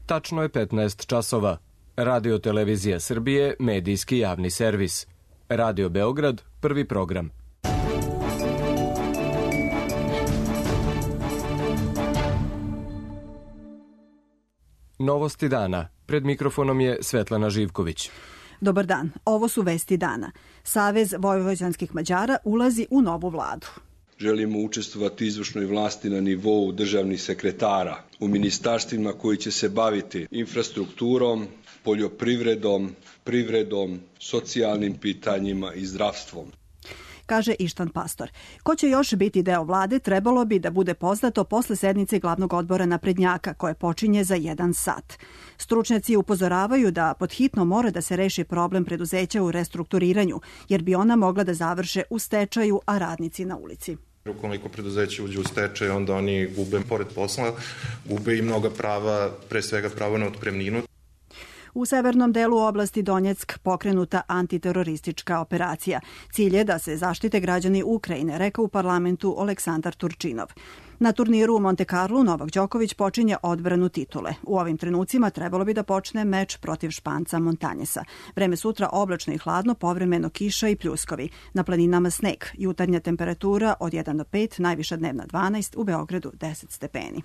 Tačno je 15 časova. Radio Televizija Srbije, medijski javni servis. Radio Beograd, prvi program. Novosti dana. Pred mikrofonom je Svetlana Živković. Dobar dan, ovo su vesti dana. Savez vojvođanskih Mađara ulazi u novu vladu. Želimo učestvovati u izvršnoj vlasti na nivou državnih sekretara, u ministarstvima koji će se baviti infrastrukturom, poljoprivredom, privredom, socijalnim pitanjima i zdravstvom. Kaže Ištan Pastor. Ko će još biti deo vlade, trebalo bi da bude poznato posle sednice glavnog odbora naprednjaka, koje počinje za 1 sat. Stručnjaci upozoravaju da podhitno mora da se reši problem preduzeća u restrukturiranju, jer bi ona mogla da završe u stečaju, a radnici na ulici. Ukoliko preduzeće uđe u stečaj, onda oni gube, pored posla, gube i mnoga prava, pre svega pravo na otpremninu. U severnom delu oblasti Donjeck pokrenuta antiteroristička operacija. Cilj je da se zaštite građani Ukrajine, rekao u parlamentu Aleksandar Turčinov. Na turniru u Monte Carlu Novak Đoković počinje odbranu titule. U ovim trenucima trebalo bi da počne meč protiv Španca Montanjesa. Vreme sutra oblačno i hladno, povremeno kiša i pljuskovi. Na planinama sneg. Jutarnja temperatura od 1 do 5, najviša dnevna 12, u Beogradu 10 stepeni.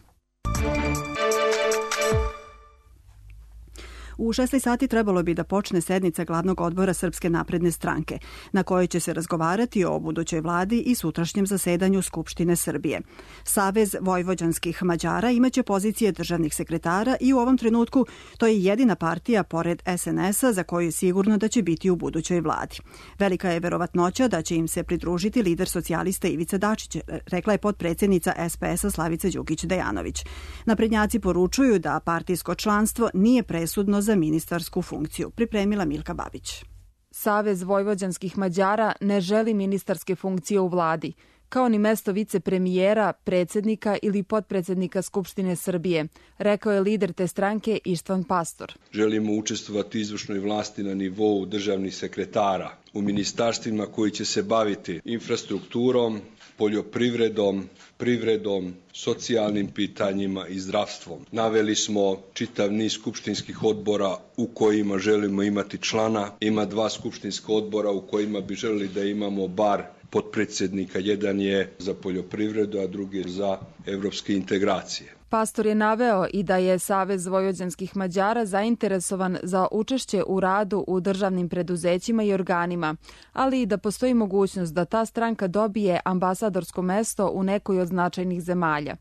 U 16 sati trebalo bi da počne sednica glavnog odbora Srpske napredne stranke, na kojoj će se razgovarati o budućoj vladi i sutrašnjem zasedanju Skupštine Srbije. Savez vojvođanskih Mađara imaće pozicije državnih sekretara i u ovom trenutku to je jedina partija pored SNS-a za koju je sigurno da će biti u budućoj vladi. Velika je verovatnoća da će im se pridružiti lider socijalista Ivica Dačić, rekla je potpredsjednica SPS-a Slavica Đukić-Dejanović. Naprednjaci poručuju da partijsko članstvo nije presudno za ministarsku funkciju, pripremila Milka Babić. Savez vojvođanskih Mađara ne želi ministarske funkcije u vladi, kao ni mesto vicepremijera, predsjednika ili potpredsjednika Skupštine Srbije, rekao je lider te stranke Ištan Pastor. Želimo učestvovati u izvršnoj vlasti na nivou državnih sekretara, u ministarstvima koji će se baviti infrastrukturom, poljoprivredom, privredom, socijalnim pitanjima i zdravstvom. Naveli smo čitav niz skupštinskih odbora u kojima želimo imati člana. Ima 2 skupštinska odbora u kojima bi želeli da imamo bar potpredsjednika. Jedan je za poljoprivredu, a drugi je za evropske integracije. Pastor je naveo i da je Savez vojvođanskih Mađara zainteresovan za učešće u radu u državnim preduzećima i organima, ali i da postoji mogućnost da ta stranka dobije ambasadorsko mesto u nekoj od značajnih zemalja.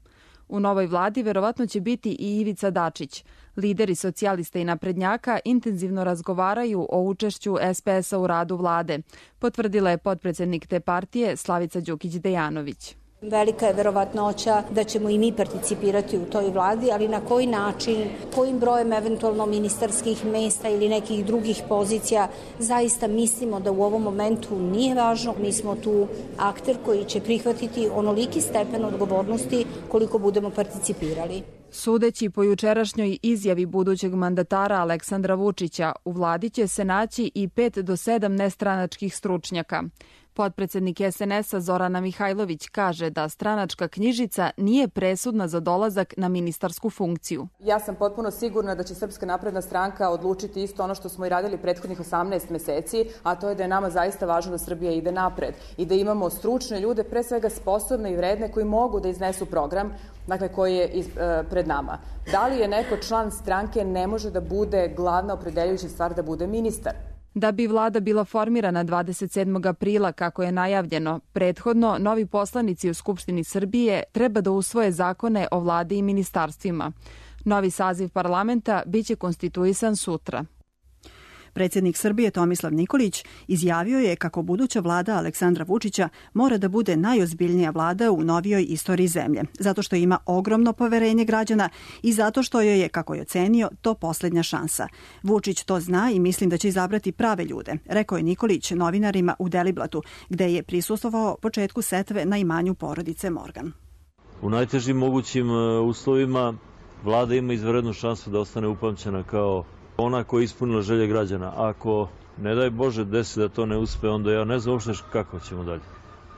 U novoj vladi verovatno će biti i Ivica Dačić. Lideri socijalista i naprednjaka intenzivno razgovaraju o učešću SPS-a u radu vlade, potvrdila je potpredsjednik te partije Slavica Đukić-Dejanović. Velika je verovatnoća da ćemo i mi participirati u toj vladi, ali na koji način, kojim brojem eventualno ministarskih mesta ili nekih drugih pozicija, zaista mislimo da u ovom momentu nije važno. Mi smo tu akter koji će prihvatiti onoliki stepen odgovornosti koliko budemo participirali. Sudeći po jučerašnjoj izjavi budućeg mandatara Aleksandra Vučića, u vladi će se naći i 5 do 7 nestranačkih stručnjaka. Potpredsjednik SNS-a Zorana Mihajlović kaže da stranačka knjižica nije presudna za dolazak na ministarsku funkciju. Ja sam potpuno sigurna da će Srpska napredna stranka odlučiti isto ono što smo i radili prethodnih 18 meseci, a to je da je nama zaista važno da Srbija ide napred i da imamo stručne ljude, pre svega sposobne i vredne, koji mogu da iznesu program, dakle koji je pred nama. Da li je neko član stranke ne može da bude glavna opredeljujuća stvar da bude ministar? Da bi vlada bila formirana 27. aprila, kako je najavljeno, prethodno novi poslanici u Skupštini Srbije treba da usvoje zakone o vladi i ministarstvima. Novi saziv parlamenta biće konstituisan sutra. Predsjednik Srbije Tomislav Nikolić izjavio je kako buduća vlada Aleksandra Vučića mora da bude najozbiljnija vlada u novijoj istoriji zemlje, zato što ima ogromno poverenje građana i zato što joj je, kako je ocenio, to posljednja šansa. Vučić to zna i mislim da će izabrati prave ljude, rekao je Nikolić novinarima u Deliblatu, gde je prisustvovao početku setve na imanju porodice Morgan. U najtežim mogućim uslovima vlada ima izvanrednu šansu da ostane upamćena kao ona koja je ispunila želje građana. Ako, ne daj Bože, desi da to ne uspe, onda ja ne znam uopšte kako ćemo dalje.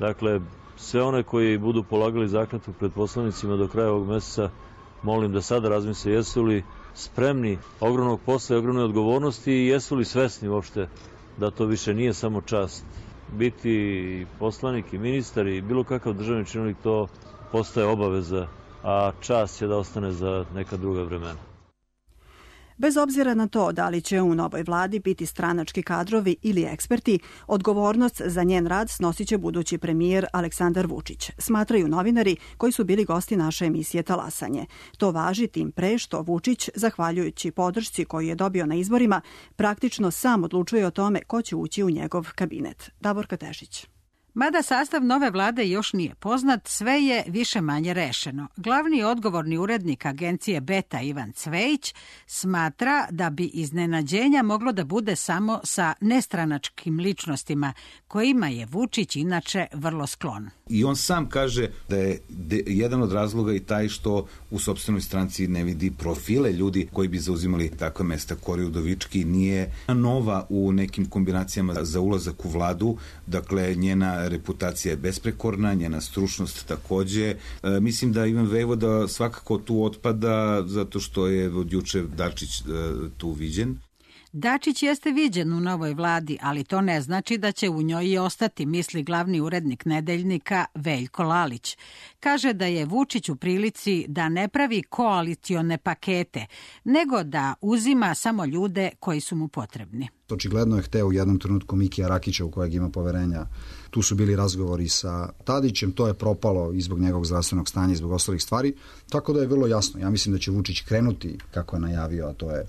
Dakle, sve one koji budu polagali zakletvu pred poslanicima do kraja ovog meseca, molim da sada razmisle jesu li spremni ogromnog posla i ogromne odgovornosti i jesu li svesni uopšte da to više nije samo čast. Biti poslanik i ministar i bilo kakav državni činovnik, to postaje obaveza, a čast će da ostane za neka druga vremena. Bez obzira na to da li će u novoj vladi biti stranački kadrovi ili eksperti, odgovornost za njen rad snosit će budući premijer Aleksandar Vučić, smatraju novinari koji su bili gosti naše emisije Talasanje. To važi tim pre što Vučić, zahvaljujući podršci koju je dobio na izborima, praktično sam odlučuje o tome ko će ući u njegov kabinet. Davorka Tešić. Mada sastav nove vlade još nije poznat, sve je više manje rešeno. Glavni odgovorni urednik agencije Beta Ivan Cvejić smatra da bi iznenađenja moglo da bude samo sa nestranačkim ličnostima, kojima je Vučić inače vrlo sklon. I on sam kaže da je jedan od razloga i taj što u sopstvenoj stranci ne vidi profile ljudi koji bi zauzimali takva mesta. Kori Udovički nije nova u nekim kombinacijama za ulazak u vladu, dakle njena reputacija je besprekorna, njena stručnost takođe. Mislim da Ivan Vejvoda svakako tu otpada zato što je od juče Dačić tu viđen. Dačić jeste viđen u novoj vladi, ali to ne znači da će u njoj i ostati, misli glavni urednik Nedeljnika Veljko Lalić. Kaže da je Vučić u prilici da ne pravi koalicione pakete, nego da uzima samo ljude koji su mu potrebni. Očigledno je hteo u jednom trenutku Mikija Rakića, u kojeg ima poverenja. Tu su bili razgovori sa Tadićem, to je propalo i zbog njegovog zdravstvenog stanja i zbog ostalih stvari, tako da je vrlo jasno. Ja mislim da će Vučić krenuti, kako je najavio, a to je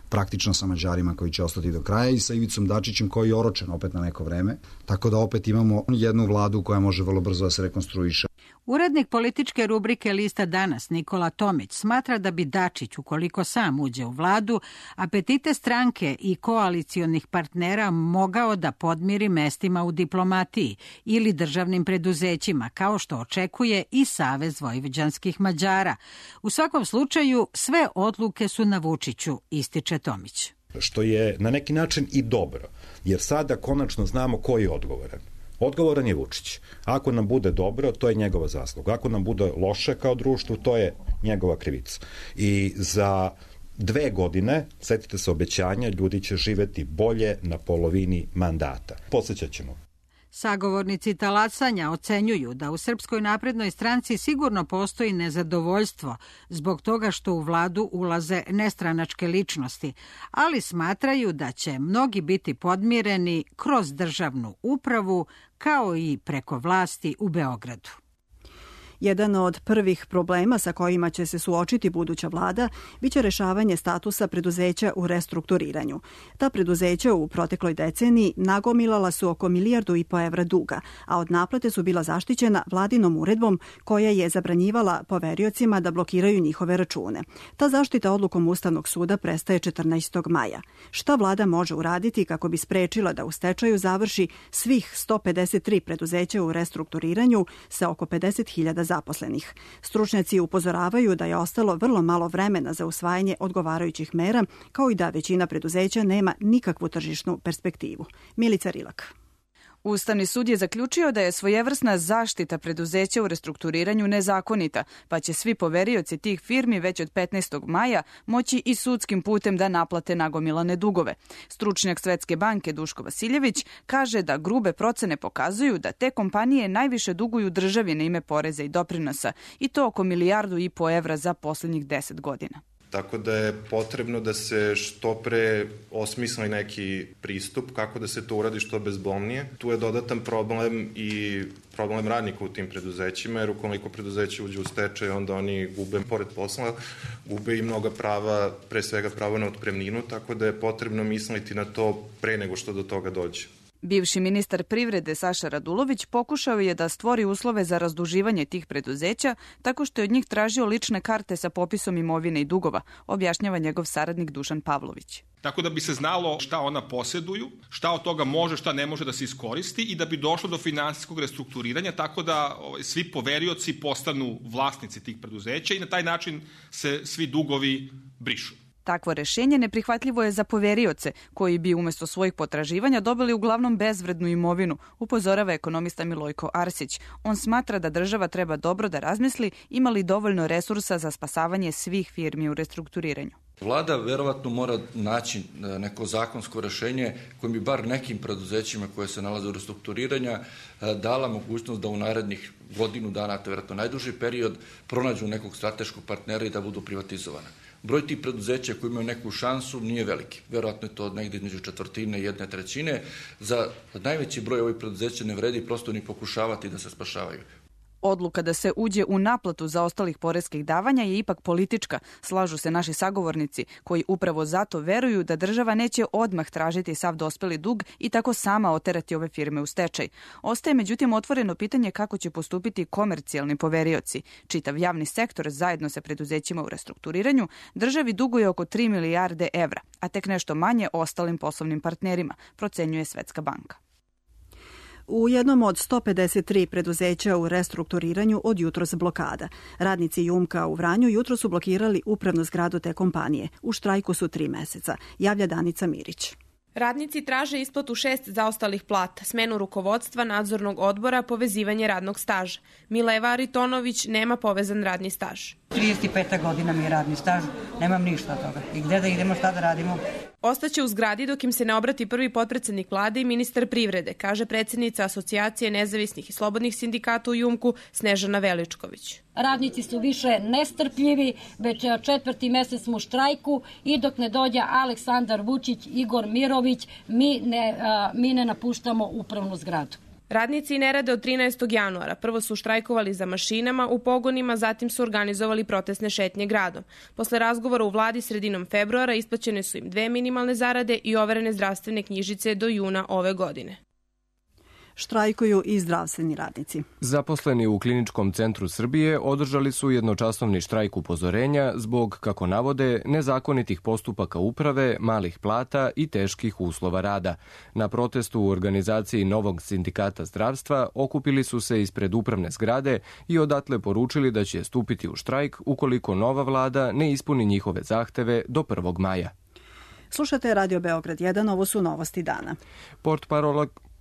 praktično sa Mađarima koji će ostati do kraja i sa Ivicom Dačićem koji je oročen opet na neko vreme, tako da opet imamo jednu vladu koja može vrlo brzo da se rekonstruiše. Urednik političke rubrike Lista Danas Nikola Tomić smatra da bi Dačić, ukoliko sam uđe u vladu, apetite stranke i koalicionih partnera mogao da podmiri mestima u diplomatiji ili državnim preduzećima, kao što očekuje i Savez vojvođanskih Mađara. U svakom slučaju, sve odluke su na Vučiću, ističe Tomić. Što je na neki način i dobro, jer sada konačno znamo ko je odgovoran. Odgovoran je Vučić. Ako nam bude dobro, to je njegova zasluga. Ako nam bude loše kao društvo, to je njegova krivica. I za 2 godine, setite se obećanja, ljudi će živeti bolje na polovini mandata. Podsjećat ćemo. Sagovornici talasanja ocenjuju da u Srpskoj naprednoj stranci sigurno postoji nezadovoljstvo zbog toga što u vladu ulaze nestranačke ličnosti, ali smatraju da će mnogi biti podmireni kroz državnu upravu kao i preko vlasti u Beogradu. Jedan od prvih problema sa kojima će se suočiti buduća vlada biće rešavanje statusa preduzeća u restrukturiranju. Ta preduzeća u protekloj deceniji nagomilala su oko 1,5 milijardu evra duga, a od naplate su bila zaštićena vladinom uredbom koja je zabranjivala poveriocima da blokiraju njihove račune. Ta zaštita odlukom Ustavnog suda prestaje 14. maja. Šta vlada može uraditi kako bi sprečila da u stečaju završi svih 153 preduzeća u restrukturiranju sa oko 50.000 zaposlenih? Stručnjaci upozoravaju da je ostalo vrlo malo vremena za usvajanje odgovarajućih mera, kao i da većina preduzeća nema nikakvu tržišnu perspektivu. Milica Rilak. Ustavni sud je zaključio da je svojevrsna zaštita preduzeća u restrukturiranju nezakonita, pa će svi poverioci tih firmi već od 15. maja moći i sudskim putem da naplate nagomilane dugove. Stručnjak Svetske banke Duško Vasiljević kaže da grube procene pokazuju da te kompanije najviše duguju državi na ime poreza i doprinosa, i to oko 1,5 milijardu evra za poslednjih 10 godina. Tako da je potrebno da se što pre osmisli neki pristup kako da se to uradi što bezbolnije. Tu je dodatan problem i problem radnika u tim preduzećima, jer ukoliko preduzeće uđe u stečaj, onda oni gube, pored posla, gube i mnoga prava, pre svega pravo na otpremninu, tako da je potrebno misliti na to pre nego što do toga dođe. Bivši ministar privrede Saša Radulović pokušao je da stvori uslove za razduživanje tih preduzeća tako što je od njih tražio lične karte sa popisom imovine i dugova, objašnjava njegov saradnik Dušan Pavlović. Tako da bi se znalo šta ona posjeduju, šta od toga može, šta ne može da se iskoristi i da bi došlo do finansijskog restrukturiranja, tako da svi poverioci postanu vlasnici tih preduzeća i na taj način se svi dugovi brišu. Takvo rešenje neprihvatljivo je za poverioce, koji bi umesto svojih potraživanja dobili uglavnom bezvrednu imovinu, upozorava ekonomista Milojko Arsić. On smatra da država treba dobro da razmisli ima li dovoljno resursa za spasavanje svih firmi u restrukturiranju. Vlada verovatno mora naći neko zakonsko rešenje kojim bi bar nekim preduzećima koje se nalaze u restrukturiranju dala mogućnost da u narednih godinu dana, to je verovatno najduži period, pronađu nekog strateškog partnera i da budu privatizovane. Broj tih preduzeća koji imaju neku šansu nije veliki. Verovatno je to negdje između četvrtine i 1/3. Za najveći broj ovih preduzeća ne vredi prosto ni pokušavati da se spašavaju. Odluka da se uđe u naplatu zaostalih poreskih davanja je ipak politička, slažu se naši sagovornici, koji upravo zato veruju da država neće odmah tražiti sav dospeli dug i tako sama oterati ove firme u stečaj. Ostaje međutim otvoreno pitanje kako će postupiti komercijalni poverioci. Čitav javni sektor zajedno sa preduzećima u restrukturiranju državi duguje oko 3 milijarde evra, a tek nešto manje ostalim poslovnim partnerima, procenjuje Svetska banka. U jednom od 153 preduzeća u restrukturiranju od jutros blokada. Radnici Jumka u Vranju jutro su blokirali upravnu zgradu te kompanije. U štrajku su 3 meseca, javlja Danica Mirić. Radnici traže isplatu 6 zaostalih plata, smenu rukovodstva, nadzornog odbora, povezivanje radnog staža. Mileva Aritonović nema povezan radni staž. 35. godina mi je radni staž, nemam ništa od toga. I gde da idemo, šta da radimo? Ostaće u zgradi dok im se ne obrati prvi potpredsednik vlade i ministar privrede, kaže predsjednica Asocijacije nezavisnih i slobodnih sindikata u Jumku Snežana Veličković. Radnici su više nestrpljivi, već 4. mesec smo u štrajku i dok ne dođe Aleksandar Vučić, Igor Mirović, mi ne napuštamo upravnu zgradu. Radnici ne rade od 13. januara. Prvo su štrajkovali za mašinama u pogonima, zatim su organizovali protestne šetnje gradom. Posle razgovora u vladi sredinom februara isplaćene su im 2 minimalne zarade i overene zdravstvene knjižice do juna ove godine. Štrajkuju i zdravstveni radnici. Zaposleni u Kliničkom centru Srbije održali su jednočasovni štrajk upozorenja zbog, kako navode, nezakonitih postupaka uprave, malih plata i teških uslova rada. Na protestu u organizaciji Novog sindikata zdravstva okupili su se ispred upravne zgrade i odatle poručili da će stupiti u štrajk ukoliko nova vlada ne ispuni njihove zahteve do 1. maja. Slušate Radio Beograd 1, ovo su novosti dana.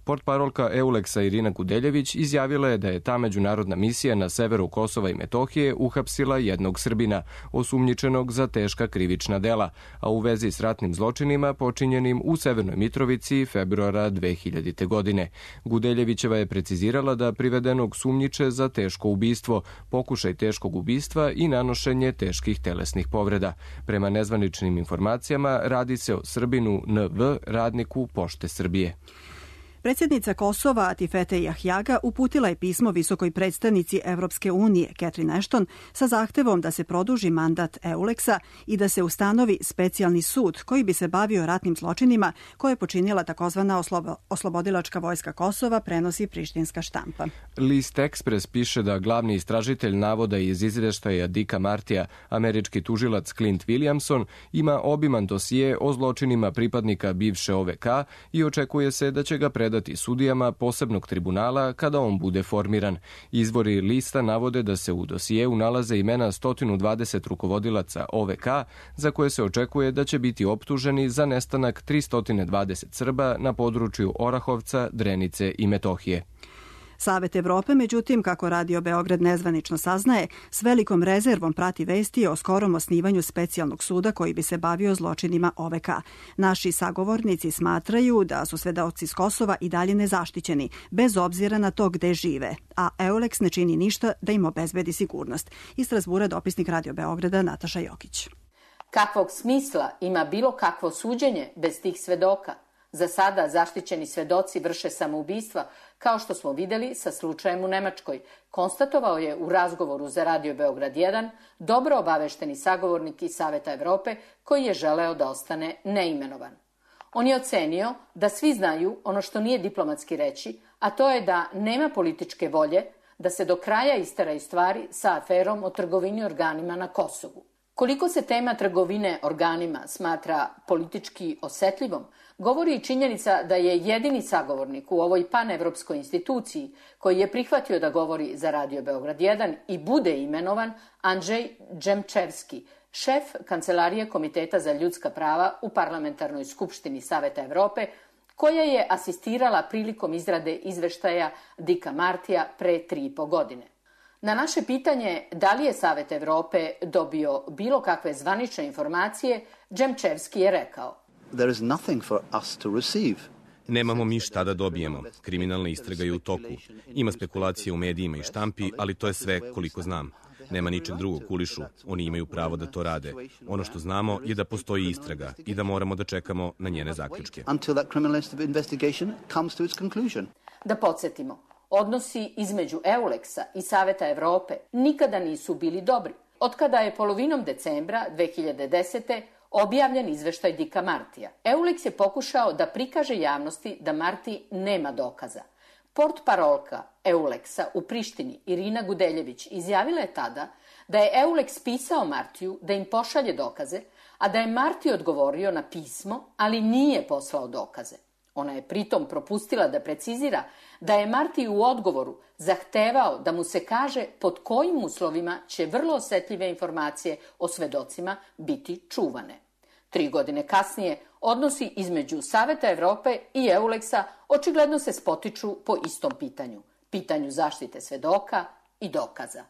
Portparolka EULEX-a Irina Gudeljević izjavila je da je ta međunarodna misija na severu Kosova i Metohije uhapsila jednog Srbina, osumnjičenog za teška krivična dela, a u vezi s ratnim zločinima počinjenim u Severnoj Mitrovici februara 2000. godine. Gudeljevićeva je precizirala da privedenog sumnjiče za teško ubistvo, pokušaj teškog ubistva i nanošenje teških telesnih povreda. Prema nezvaničnim informacijama radi se o Srbinu NV, radniku Pošte Srbije. Predsjednica Kosova Atifete Jahjaga uputila je pismo visokoj predstavnici Evropske unije Catherine Ashton sa zahtevom da se produži mandat EULEX-a i da se ustanovi specijalni sud koji bi se bavio ratnim zločinima koje je počinila takozvana oslobodilačka vojska Kosova, prenosi prištinska štampa. List Express piše da glavni istražitelj navoda iz izveštaja Dicka Martija, američki tužilac Clint Williamson, ima obiman dosije o zločinima pripadnika bivše OVK i očekuje se da će ga predati sudijama posebnog tribunala kada on bude formiran. Izvori lista navode da se u dosijeu nalaze imena 120 rukovodilaca OVK za koje se očekuje da će biti optuženi za nestanak 320 Srba na području Orahovca, Drenice i Metohije. Savet Evrope, međutim, kako Radio Beograd nezvanično saznaje, s velikom rezervom prati vesti o skorom osnivanju specijalnog suda koji bi se bavio zločinima OVK. Naši sagovornici smatraju da su svedoci s Kosova i dalje nezaštićeni, bez obzira na to gde žive, a EULEX ne čini ništa da im obezbedi sigurnost. Iz Strasbura dopisnik Radio Beograda Nataša Jokić. Kakvog smisla ima bilo kakvo suđenje bez tih svedoka? Za sada zaštićeni svedoci vrše samoubistva, kao što smo videli sa slučajem u Nemačkoj, konstatovao je u razgovoru za Radio Beograd 1 dobro obavešteni sagovornik iz Saveta Evrope koji je želeo da ostane neimenovan. On je ocenio da svi znaju ono što nije diplomatski reći, a to je da nema političke volje da se do kraja isteraju stvari sa aferom o trgovini organima na Kosovu. Koliko se tema trgovine organima smatra politički osetljivom, govori i činjenica da je jedini sagovornik u ovoj panevropskoj instituciji koji je prihvatio da govori za Radio Beograd 1 i bude imenovan Andrzej Džemčevski, šef Kancelarije Komiteta za ljudska prava u Parlamentarnoj skupštini Saveta Evrope, koja je asistirala prilikom izrade izveštaja Dicka Martija pre 3,5 godine. Na naše pitanje da li je Savet Evrope dobio bilo kakve zvanične informacije, Džemčevski je rekao: There is nothing for us to receive. Nemamo mi šta da dobijemo. Kriminalna istraga je u toku. Ima spekulacije u medijima i štampi, ali to je sve koliko znam. Nema ničeg drugog u kulišu. Oni imaju pravo da to rade. Ono što znamo je da postoji istraga i da moramo da čekamo na njene zaključke. Da podsjetimo, odnosi između EULEX-a i Saveta Evrope nikada nisu bili dobri. Otkada je polovinom decembra 2010. objavljen izveštaj Dika Martija. EULEX je pokušao da prikaže javnosti da Marti nema dokaza. Portparolka EULEX-a u Prištini, Irina Gudeljević, izjavila je tada da je EULEX pisao Martiju da im pošalje dokaze, a da je Marti odgovorio na pismo, ali nije poslao dokaze. Ona je pritom propustila da precizira da je Marti u odgovoru zahtevao da mu se kaže pod kojim uslovima će vrlo osetljive informacije o svedocima biti čuvane. 3 godine kasnije, odnosi između Saveta Evrope i EULEX-a očigledno se spotiču po istom pitanju zaštite svedoka i dokaza.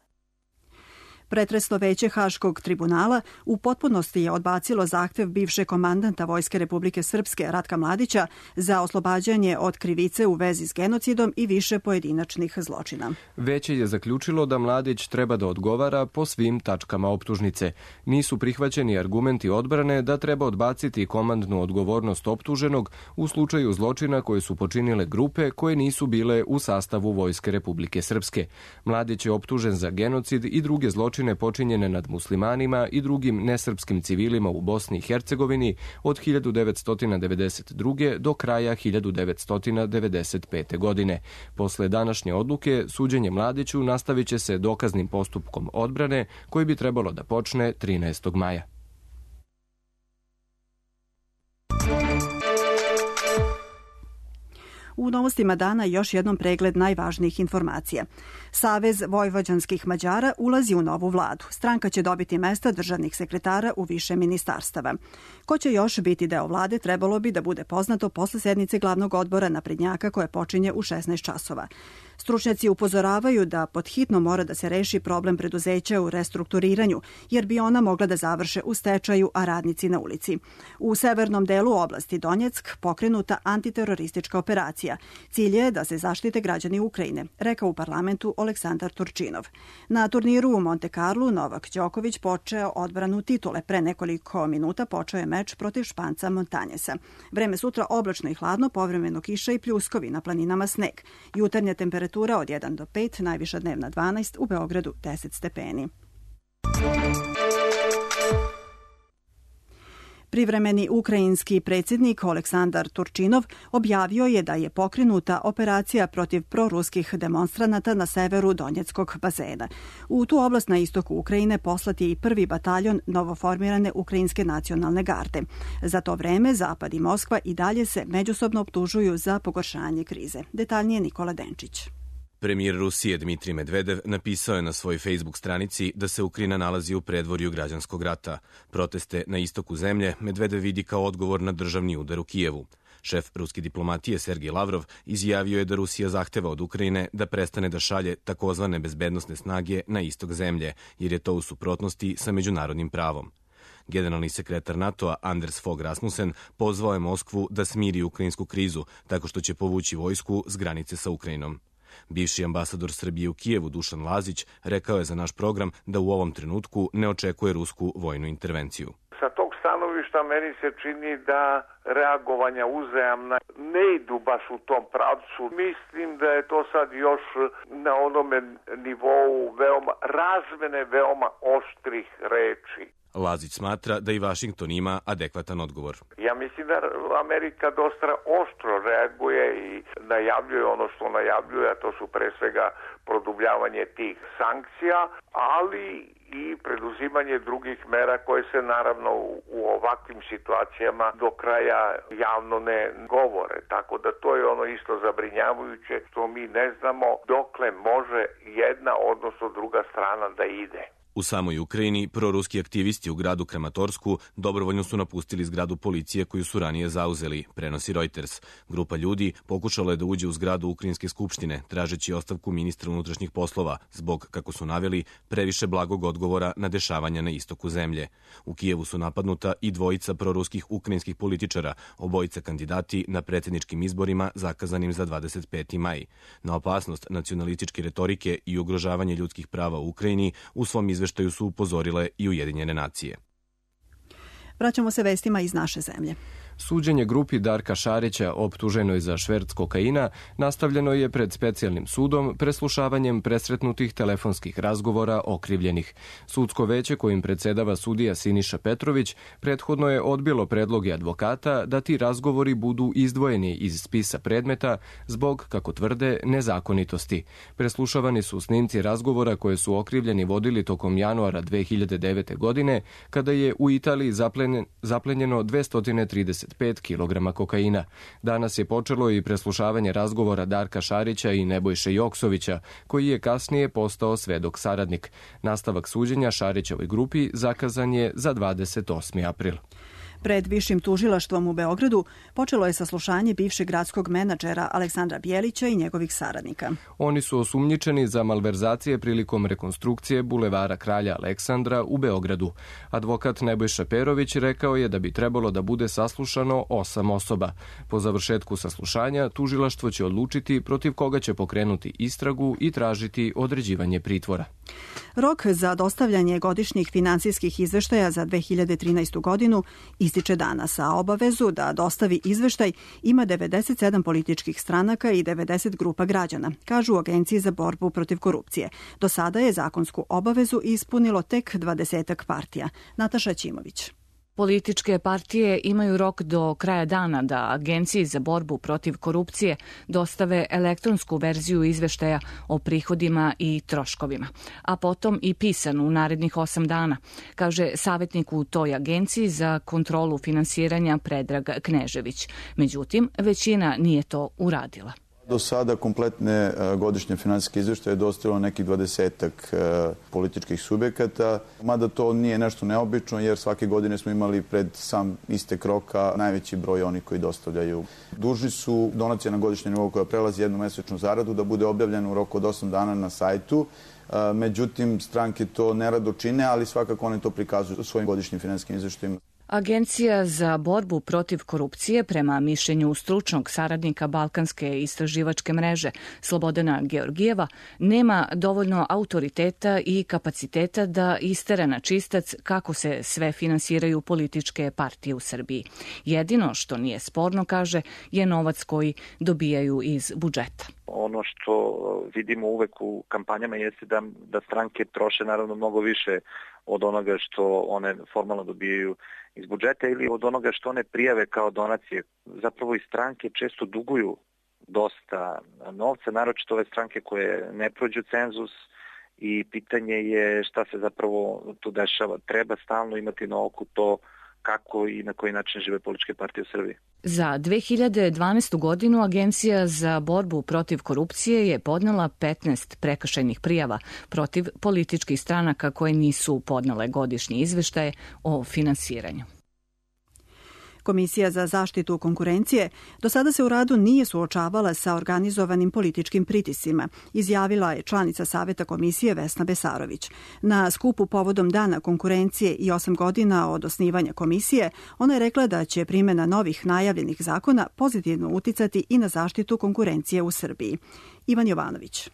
Pretresno veće Haškog tribunala u potpunosti je odbacilo zahtev bivšeg komandanta Vojske Republike Srpske Ratka Mladića za oslobađanje od krivice u vezi s genocidom i više pojedinačnih zločina. Veće je zaključilo da Mladić treba da odgovara po svim tačkama optužnice. Nisu prihvaćeni argumenti odbrane da treba odbaciti komandnu odgovornost optuženog u slučaju zločina koje su počinile grupe koje nisu bile u sastavu Vojske Republike Srpske. Mladić je optužen za genocid i druge zločine počinjene nad muslimanima i drugim nesrpskim civilima u Bosni i Hercegovini od 1992. do kraja 1995. godine. Posle današnje odluke, suđenje Mladiću nastavit će se dokaznim postupkom odbrane koji bi trebalo da počne 13. maja. U novostima dana još jednom pregled najvažnijih informacija. Savez vojvođanskih Mađara ulazi u novu vladu. Stranka će dobiti mesta državnih sekretara u više ministarstava. Ko će još biti deo vlade trebalo bi da bude poznato posle sednice glavnog odbora naprednjaka koje počinje u 16 časova. Stručnjaci upozoravaju da podhitno mora da se reši problem preduzeća u restrukturiranju, jer bi ona mogla da završe u stečaju, a radnici na ulici. U severnom delu oblasti Donjeck pokrenuta antiteroristička operacija. Cilj je da se zaštite građani Ukrajine, rekao u parlamentu Aleksandar Turčinov. Na turniru u Monte Carlu Novak Đoković počeo odbranu titule. Pre nekoliko minuta počeo je meč protiv Španca Montanjesa. Vreme sutra oblačno i hladno, povremeno kiša i pljuskovi, na planinama sneg. Jutarnja temperatura od 1 do 5, najviša dnevna 12, u Beogradu 10 stepeni. Privremeni ukrajinski predsjednik Aleksandar Turčinov objavio je da je pokrenuta operacija protiv proruskih demonstranata na severu Donjeckog bazena. U tu oblast na istoku Ukrajine poslat je i prvi bataljon novoformirane Ukrajinske nacionalne garde. Za to vreme Zapad i Moskva i dalje se međusobno optužuju za pogoršanje krize. Detaljnije Nikola Denčić. Premijer Rusije Dmitrij Medvedev napisao je na svojoj Facebook stranici da se Ukrajina nalazi u predvorju građanskog rata. Proteste na istoku zemlje Medvedev vidi kao odgovor na državni udar u Kijevu. Šef ruske diplomatije Sergej Lavrov izjavio je da Rusija zahteva od Ukrajine da prestane da šalje takozvane bezbednosne snage na istok zemlje, jer je to u suprotnosti sa međunarodnim pravom. Generalni sekretar NATO-a Anders Fogh Rasmussen pozvao je Moskvu da smiri ukrajinsku krizu tako što će povući vojsku s granice sa Ukrajinom. Bivši ambasador Srbije u Kijevu Dušan Lazić rekao je za naš program da u ovom trenutku ne očekuje rusku vojnu intervenciju. Sa tog stanovišta meni se čini da reagovanja uzajamna ne idu baš u tom pravcu. Mislim da je to sad još na onome nivou veoma razmene veoma oštrih reči. Lazić smatra da i Vašington ima adekvatan odgovor. Ja mislim da Amerika dosta oštro reaguje i najavljuje ono što najavljuje, a to su pre svega produbljavanje tih sankcija, ali i preduzimanje drugih mera koje se naravno u ovakvim situacijama do kraja javno ne govore. Tako da to je ono isto zabrinjavajuće što mi ne znamo dokle može jedna odnosno druga strana da ide. U samoj Ukrajini, proruski aktivisti u gradu Kramatorsku dobrovoljno su napustili zgradu policije koju su ranije zauzeli, prenosi Reuters. Grupa ljudi pokušala je da uđe u zgradu Ukrajinske skupštine, tražeći ostavku ministra unutrašnjih poslova, zbog, kako su naveli, previše blagog odgovora na dešavanja na istoku zemlje. U Kijevu su napadnuta i dvojica proruskih ukrajinskih političara, obojica kandidati na predsjedničkim izborima zakazanim za 25. maj. Na opasnost nacionalističke retorike i ugrožavanje ljudskih prava u Ukrajini u svom izveštaju su upozorile i Ujedinjene nacije. Vraćamo se vestima iz naše zemlje. Suđenje grupi Darka Šarića, optuženoj za šverc kokaina, nastavljeno je pred specijalnim sudom preslušavanjem presretnutih telefonskih razgovora okrivljenih. Sudsko veće kojim predsedava sudija Siniša Petrović prethodno je odbilo predloge advokata da ti razgovori budu izdvojeni iz spisa predmeta zbog, kako tvrde, nezakonitosti. Preslušavani su snimci razgovora koje su okrivljeni vodili tokom januara 2009. godine, kada je u Italiji zaplenjeno 235 kg kokaina. Danas je počelo i preslušavanje razgovora Darka Šarića i Nebojše Joksovića, koji je kasnije postao svedok saradnik. Nastavak suđenja Šarićevoj grupi zakazan je za 28. april. Pred Višim tužilaštvom u Beogradu počelo je saslušanje bivšeg gradskog menadžera Aleksandra Bjelića i njegovih saradnika. Oni su osumnjičeni za malverzacije prilikom rekonstrukcije bulevara Kralja Aleksandra u Beogradu. Advokat Nebojša Perović rekao je da bi trebalo da bude saslušano 8 osoba. Po završetku saslušanja tužilaštvo će odlučiti protiv koga će pokrenuti istragu i tražiti određivanje pritvora. Rok za dostavljanje godišnjih finansijskih izveštaja za 2013. godinu ističe danas, a obavezu da dostavi izveštaj ima 97 političkih stranaka i 90 grupa građana, kažu u Agenciji za borbu protiv korupcije. Do sada je zakonsku obavezu ispunilo tek 20 partija. Nataša Ćimović. Političke partije imaju rok do kraja dana da Agenciji za borbu protiv korupcije dostave elektronsku verziju izveštaja o prihodima i troškovima, a potom i pisanu u narednih 8 dana, kaže savjetnik u toj agenciji za kontrolu finansiranja Predrag Knežević. Međutim, većina nije to uradila. Do sada kompletne godišnje finansijske izveštaje je dostavilo nekih 20-ak političkih subjekata, mada to nije nešto neobično jer svake godine smo imali pred sam istek roka najveći broj onih koji dostavljaju. Dužni su donacija na godišnjem nivou koja prelazi jednu mesečnu zaradu da bude objavljena u roku od 8 dana na sajtu. Međutim, stranke to nerado čine, ali svakako one to prikazuju u svojim godišnjim finansijskim izveštajima. Agencija za borbu protiv korupcije, prema mišljenju stručnog saradnika Balkanske istraživačke mreže Slobodana Georgijeva, nema dovoljno autoriteta i kapaciteta da istera na čistac kako se sve finansiraju političke partije u Srbiji. Jedino što nije sporno, kaže, je novac koji dobijaju iz budžeta. Ono što vidimo uvek u kampanjama jeste da stranke troše naravno mnogo više od onoga što one formalno dobijaju iz budžeta ili od onoga što one prijave kao donacije. Zapravo i stranke često duguju dosta novca, naročito ove stranke koje ne prođu cenzus i pitanje je šta se zapravo tu dešava. Treba stalno imati na oku to kako i na koji način žive političke partije u Srbiji. Za 2012. godinu Agencija za borbu protiv korupcije je podnela 15 prekršajnih prijava protiv političkih stranaka koje nisu podnele godišnje izveštaje o finansiranju. Komisija za zaštitu konkurencije do sada se u radu nije suočavala sa organizovanim političkim pritiscima, izjavila je članica Saveta komisije Vesna Besarović. Na skupu povodom Dana konkurencije i 8 godina od osnivanja komisije, ona je rekla da će primjena novih najavljenih zakona pozitivno uticati i na zaštitu konkurencije u Srbiji. Ivan Jovanović.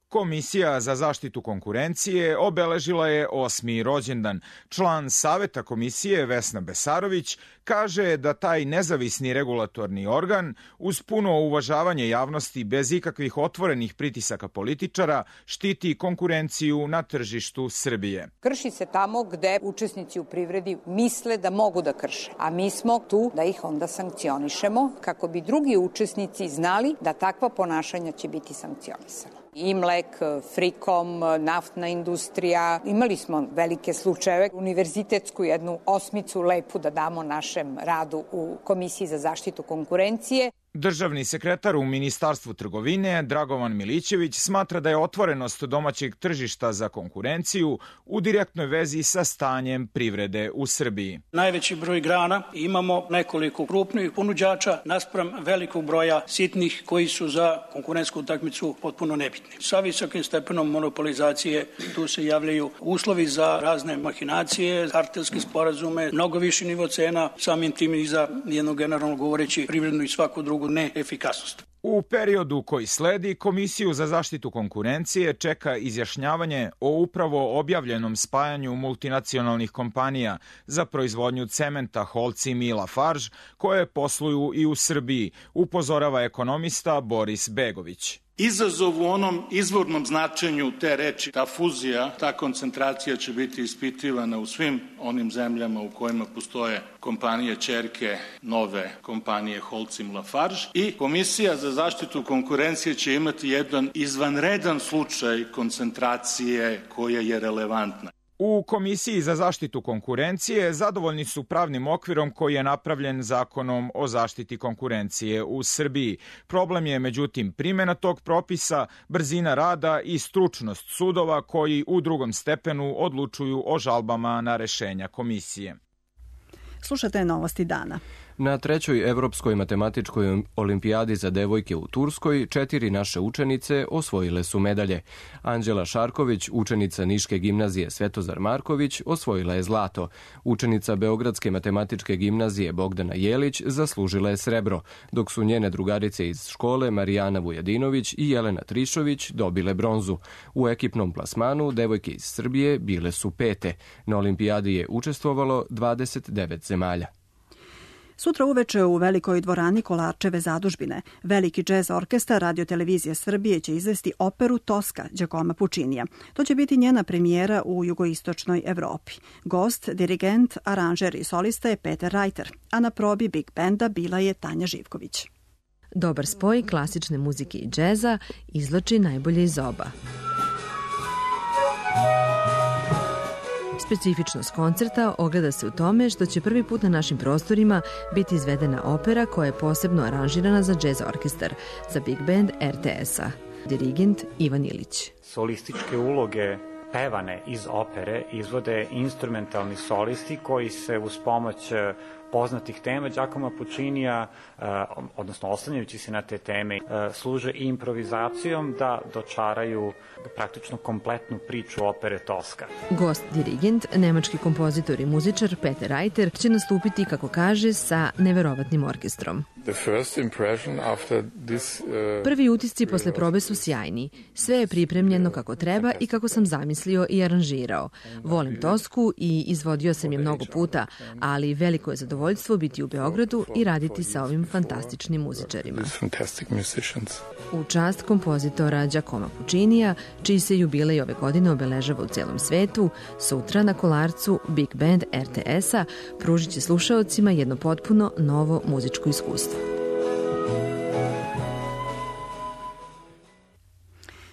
Komisija za zaštitu konkurencije obeležila je 8. rođendan. Član Saveta komisije Vesna Besarović kaže da taj nezavisni regulatorni organ uz puno uvažavanje javnosti bez ikakvih otvorenih pritisaka političara štiti konkurenciju na tržištu Srbije. Krši se tamo gde učesnici u privredi misle da mogu da krše, a mi smo tu da ih onda sankcionišemo kako bi drugi učesnici znali da takva ponašanja će biti sankcionisana. Imlek, Frikom, naftna industrija. Imali smo velike slučajeve, univerzitetsku jednu osmicu lepu da damo našem radu u Komisiji za zaštitu konkurencije. Državni sekretar u Ministarstvu trgovine Dragovan Milićević smatra da je otvorenost domaćeg tržišta za konkurenciju u direktnoj vezi sa stanjem privrede u Srbiji. Najveći broj grana, imamo nekoliko krupnih ponuđača naspram velikog broja sitnih koji su za konkurentsku utakmicu potpuno nebitni. Sa visokim stepenom monopolizacije tu se javljaju uslovi za razne mahinacije, kartelske sporazume, mnogo viši nivo cena, samim tim i za jedno generalno govoreći privrednu i svaku drugu neefikasnost. U periodu koji sledi, Komisiju za zaštitu konkurencije čeka izjašnjavanje o upravo objavljenom spajanju multinacionalnih kompanija za proizvodnju cementa Holcim i Lafarge, koje posluju i u Srbiji, upozorava ekonomista Boris Begović. Izazov u onom izvornom značenju te reči, ta fuzija, ta koncentracija će biti ispitivana u svim onim zemljama u kojima postoje kompanije ćerke nove kompanije Holcim Lafarge i Komisija za zaštitu konkurencije će imati jedan izvanredan slučaj koncentracije koja je relevantna. U Komisiji za zaštitu konkurencije zadovoljni su pravnim okvirom koji je napravljen Zakonom o zaštiti konkurencije u Srbiji. Problem je, međutim, primjena tog propisa, brzina rada i stručnost sudova koji u drugom stepenu odlučuju o žalbama na rešenja komisije. Slušate novosti dana. Na trećoj Evropskoj matematičkoj olimpijadi za devojke u Turskoj 4 naše učenice osvojile su medalje. Anđela Šarković, učenica Niške gimnazije Svetozar Marković, osvojila je zlato. Učenica Beogradske matematičke gimnazije Bogdana Jelić zaslužila je srebro, dok su njene drugarice iz škole Marijana Vujadinović i Jelena Trišović dobile bronzu. U ekipnom plasmanu devojke iz Srbije bile su 5. Na olimpijadi je učestvovalo 29 zemalja. Sutra uveče u velikoj dvorani Kolarčeve zadužbine veliki džez orkestar Radio-televizije Srbije će izvesti operu Toska Đakoma Pučinija. To će biti njena premijera u jugoistočnoj Evropi. Gost, dirigent, aranžer i solista je Peter Reiter, a na probi Big Benda bila je Tanja Živković. Dobar spoj klasične muzike i džeza izvlači najbolje iz oba. Specifičnost koncerta ogleda se u tome što će prvi put na našim prostorima biti izvedena opera koja je posebno aranžirana za džez orkestar, za Big Band RTS-a. Dirigent Ivan Ilić. Solističke uloge pevane iz opere izvode instrumentalni solisti koji se uz pomoć poznatih tema Đakoma Pučinija, odnosno oslanjajući se na te teme, služe i improvizacijom da dočaraju praktično kompletnu priču opere Toska. Gost dirigent, nemački kompozitor i muzičar Peter Reiter će nastupiti, kako kaže, sa neverovatnim orkestrom. Prvi utisci posle probe su sjajni. Sve je pripremljeno kako treba i kako sam zamislio i aranžirao. Volim Tosku i izvodio sam je mnogo puta, ali veliko je zadovoljstvo biti u Beogradu i raditi sa ovim fantastičnim muzičarima. U čast kompozitora Đakoma Pučinija, čiji se jubilej ove godine obeležava u celom svetu, sutra na Kolarcu Big Band RTS-a pružit će slušaocima jedno potpuno novo muzičko iskustvo.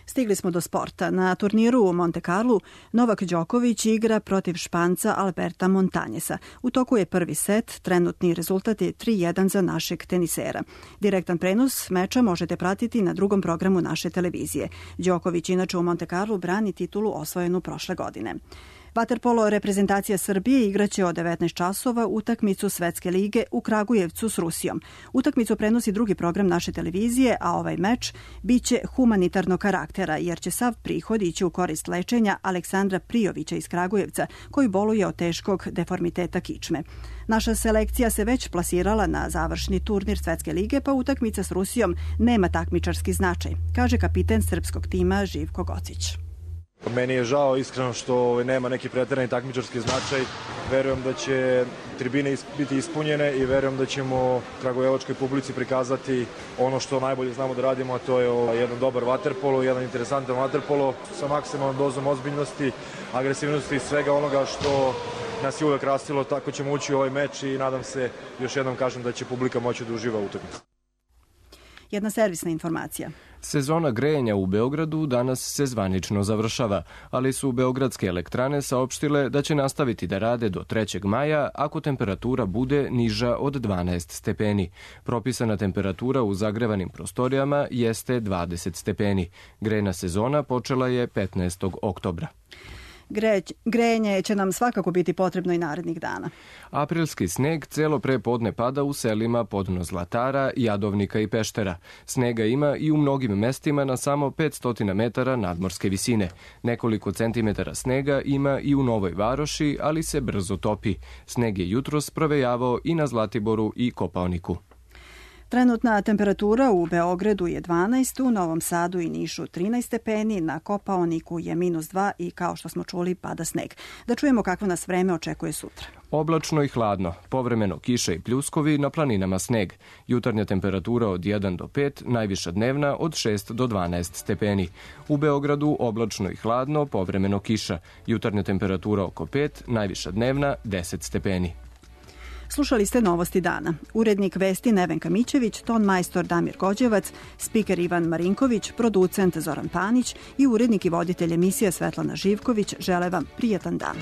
Stigli smo do sporta. Na turniru u Monte Carlu Novak Đoković igra protiv Španca Alberta Montañesa. U toku je prvi set, trenutni rezultat je 3:1 za našeg tenisera. Direktan prenos meča možete pratiti na drugom programu naše televizije. Đoković inače u Monte Carlu brani titulu osvojenu prošle godine. Vaterpolo reprezentacija Srbije igraće od 19 časova utakmicu Svetske lige u Kragujevcu s Rusijom. Utakmicu prenosi drugi program naše televizije, a ovaj meč biće humanitarnog karaktera, jer će sav prihod ići u korist lečenja Aleksandra Prijovića iz Kragujevca, koji boluje od teškog deformiteta kičme. Naša selekcija se već plasirala na završni turnir Svetske lige, pa utakmica s Rusijom nema takmičarski značaj, kaže kapiten srpskog tima Živko Gocić. Meni je žao iskreno što nema neki preterani takmičarski značaj. Verujem da će tribine biti ispunjene i verujem da ćemo kragujevačkoj publici prikazati ono što najbolje znamo da radimo, a to je jedan dobar vaterpolo, jedan interesantan vaterpolo sa maksimalnom dozom ozbiljnosti, agresivnosti i svega onoga što nas je uvek rastilo. Tako ćemo ući u ovaj meč i nadam se, još jednom kažem, da će publika moći da uživa u utakmici. Jedna servisna informacija. Sezona grejanja u Beogradu danas se zvanično završava, ali su beogradske elektrane saopštile da će nastaviti da rade do 3. maja ako temperatura bude niža od 12 stepeni. Propisana temperatura u zagrevanim prostorijama jeste 20 stepeni. Grejna sezona počela je 15. oktobra. Grejanje će nam svakako biti potrebno i narednih dana. Aprilski sneg celo pre podne pada u selima Podno Zlatara, Jadovnika i Peštera. Snega ima i u mnogim mestima na samo 500 metara nadmorske visine. Nekoliko centimetara snega ima i u Novoj Varoši, ali se brzo topi. Sneg je jutros provejavao i na Zlatiboru i Kopaoniku. Trenutna temperatura u Beogradu je 12, u Novom Sadu i Nišu 13 stepeni, na Kopaoniku je -2 i kao što smo čuli pada sneg. Da čujemo kakvo nas vreme očekuje sutra. Oblačno i hladno, povremeno kiša i pljuskovi, na planinama sneg. Jutarnja temperatura od 1 do 5, najviša dnevna od 6 do 12 stepeni. U Beogradu oblačno i hladno, povremeno kiša. Jutarnja temperatura oko 5, najviša dnevna 10 stepeni. Slušali ste Novosti dana. Urednik vesti Nevenka Mićević, ton majstor Damir Gođevac, spiker Ivan Marinković, producent Zoran Panić i urednik i voditelj emisije Svetlana Živković žele vam prijatan dan.